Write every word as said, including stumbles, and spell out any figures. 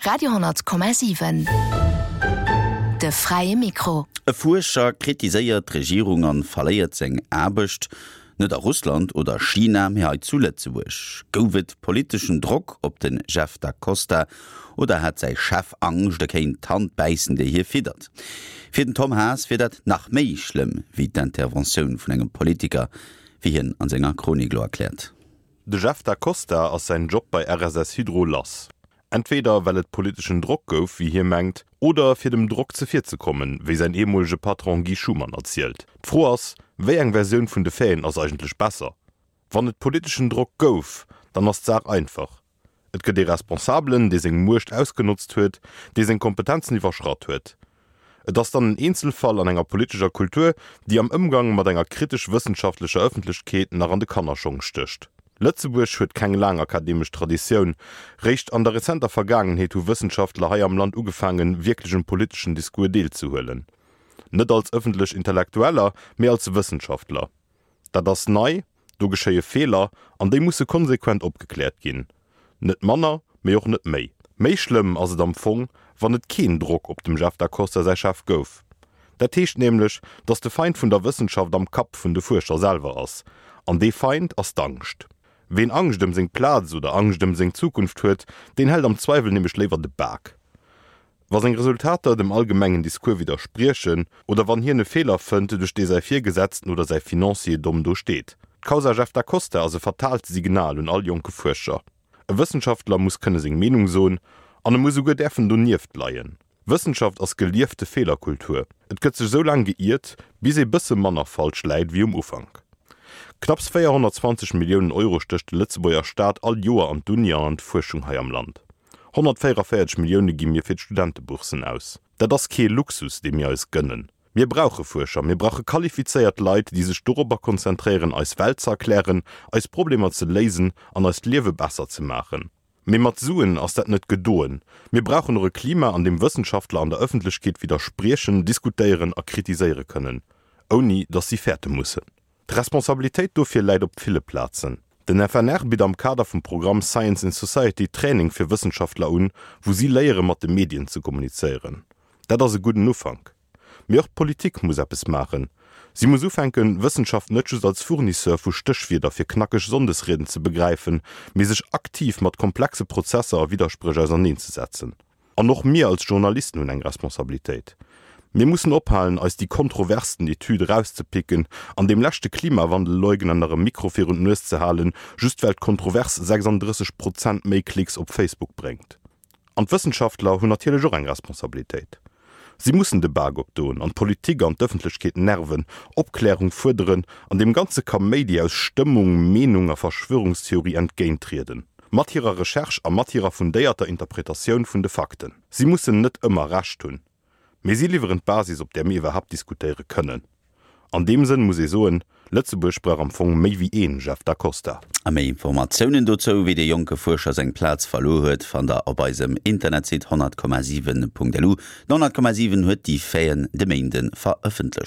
Radio honnert Komma siwen. De fräie Mikro. E Fuerscher kritiséiert d'Regierung an verléiert seng Aarbecht. Net a Russland oder China, mee hei zu Lëtzebuerg. Gouf et politeschen Drock op den Jeff da Costa oder hat säi Chef Angscht, e kéint d'Hand bäissen, déi hie fiddert? Fir den Tom Haas wier dat nach méi schlëmm wéi d'Interventioun vun engem Politiker, wéi hien an senger Chronik lo erkläert. De Jeff da Costa ass säin Job bei R S S Hydro lass. Entweder well et politeschen Drock gouf, wéi hie mengt, oder fir dem Drock zevirzekommen, wéi säin ehemolege Patron Guy Schumann erzielt. D'Fro ass, wéi eng Versioun vun de Faiten ass eigentlech besser? Wann et politeschen Drock gouf, dann ass d'Saach einfach. Et gëtt e Responsabelen, dee seng Muecht ausgenotzt huet, dee seng Kompetenzen iwwerschratt huet. Et ass dann en Eenzelfall an enger politescher Kultur, déi am Ëmgang mat enger kritesch wëssenschaftlecher Ëffentlechkeet nach an de Kannerschong stécht. Lëtzebuerg huet keng laang akademesch Traditioun. Réischt an der rezenter Vergaangenheet hu Wëssenschaftler hei am Land ugefaangen, wierklech um politeschen Discours deelzehuelen. Net als ëffentlech Intellektueller, mee als Wëssenschaftler. Dat ass nei, do geschéie Feeler an déi musse konsequent opgekläert ginn. Net manner, mee och net méi. Méi schlëmm ass et am Fong, wann et keen Drock op dem Jeff da Costa säi Chef gouf. Dat heescht nämlech, datt de Feind vun der Wëssenschaft am Kapp vun de Fuerscher selwer ass. An dee Feind ass d'Angscht. Ween Angscht ëm seng Plaz oder Angscht ëm seng Zukunft huet, deen hält am Zweiwel nämlech léiwer de Bak. Wa seng Resultater dem allgemengen Discours widderspriechen oder wann hien e Feeler fënnt, duerch dee säi Virgesetzten oder säi Financier domm do steet. D'Kausa Jeff da Costa ass e fataalt Signal un all jonke Fuerscher. E Wëssenschaftler muss kënne seng Meenung soen an e muss souguer däerfen donieft leien. Wëssenschaft ass geliefte Feelerkultur. Et gëtt sech sou laang geiert, bis ee bësse manner falsch läit wéi um Ufank. Knapps véierhonnertzwanzeg Milliounen Euro stécht de Lëtzebuerger Staat all Joer an d'Uni an an d'Fuerschung hei am Land. Honnertvéierenvéierzeg Millioune gi mir fir d'Studenteboursen aus. Dat ass kee Luxus, dee mir eis gënnen. Mir brauche Fuerscher, mir brauche qualifizéiert Leit, déi sech dorobber konzentréieren, eis Welt ze erklären, eis Problemer ze léisen an eist Liewe besser ze maachen. Mee mat Suen ass dat net gedoen. Mir brauchen och e Klima, an deem Wëssenschaftler an der Ëffentlechkeet widderspriechen, diskutéieren a kritiséiere kënnen, ouni datt si fäerte mussen. D'Responsabilitéit dofir läit op ville Plazen. Den F N R bitt am Kader vum Programm Science in Society Training fir Wëssenschaftler un, wou si léiere mat de Medien ze kommunizéieren. Dat ass e gudden Ufank. Mee och d'Politik muss eppes maachen. Si muss ufänken, Wëssenschaft net just als Fournisseur vu Stéchwierder fir knackeg Sonndesrieden ze begräifen, mee sech aktiv mat komplexe Prozesser a Widderspréch auserneenzesetzen. An och mir als Journalisten hunn eng Responsabilitéit. Mir mussen ophalen, eis déi kontroversten Etüde erauszepicken an deem leschte Klimawandelleugner nach e Mikro virun d'Nues ze halen, just well d'Kontrovers sechsandrësseg Prozent méi Klicks op Facebook bréngt. An d'Wëssenschaftler hunn natierlech och eng Responsabilitéit. Si mussen de Bak opdoen an d'Politik an d'Ëffentlechkeet nerven, Opklärung fuerderen an deem ganze Kaméidi aus Stëmmung, Meenung a Verschwörungstheorie entgéinttrieden. Mat hirer Recherche a mat hirer fundéierter Interpretatioun vun de Fakten. Si mussen net ëmmer Recht hunn. Mee si liwweren d'Basis, op där mir iwwerhaapt diskutéiere kënnen. An deem Sënn muss ee soen, Lëtzebuerg brauch am Fong méi wéi een Jeff da Costa. A méi Informatiounen dozou, wéi de jonke Fuerscher seng Plaz verluer huet, fannt der op eisem Internetsite honnert Komma siwen Punkt lu. Den honnert Komma siwen huet déi Faiten de Méinde verëffentlecht.